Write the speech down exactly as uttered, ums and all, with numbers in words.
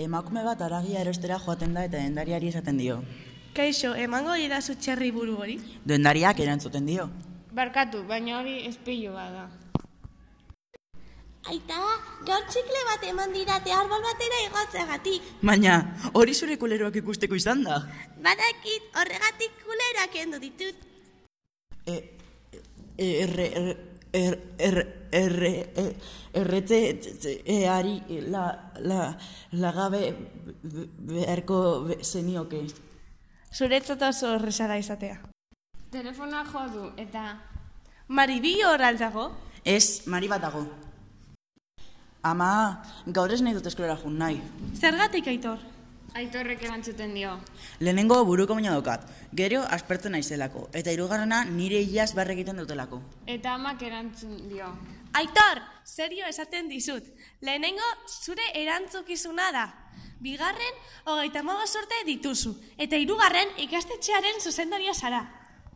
Emakume bat haragia erostera joaten da eta dendariari esaten dio. Kaixo, emango didazu txerri buru hori? Dendariak erantzuten dio. Barkatu, baina hori espilu bada. Aita, gaur txikle bat eman didate arbol batera igotzeagatik. Baina, hori zure kuleroak ikusteko izan da. Badakit, horregatik kuleroak endu ditut. E, erre, erre, erre, erre, erretzeari la, la, lagabe beharko zenioke. Zuretzat oso horrezara izatea. Telefona jo du, eta... Maribi hor aldago? Ez, Mari bat dago. Ama, gaur ez nahi dut eskolera jun nahi. Zergatik, Aitor? Aitorrek erantzuten dio. Lehenengo buruko baina daukat, gero aspertzen naizelako, eta hirugarrena nire iaz barre egiten dutelako. Eta amak erantzun dio. Aitor, serio esaten dizut. Lehenengo zure erantzukizuna da. Bigarren, hogeita hamabost urte dituzu. Eta hirugarren ikastetxearen zuzendaria zara.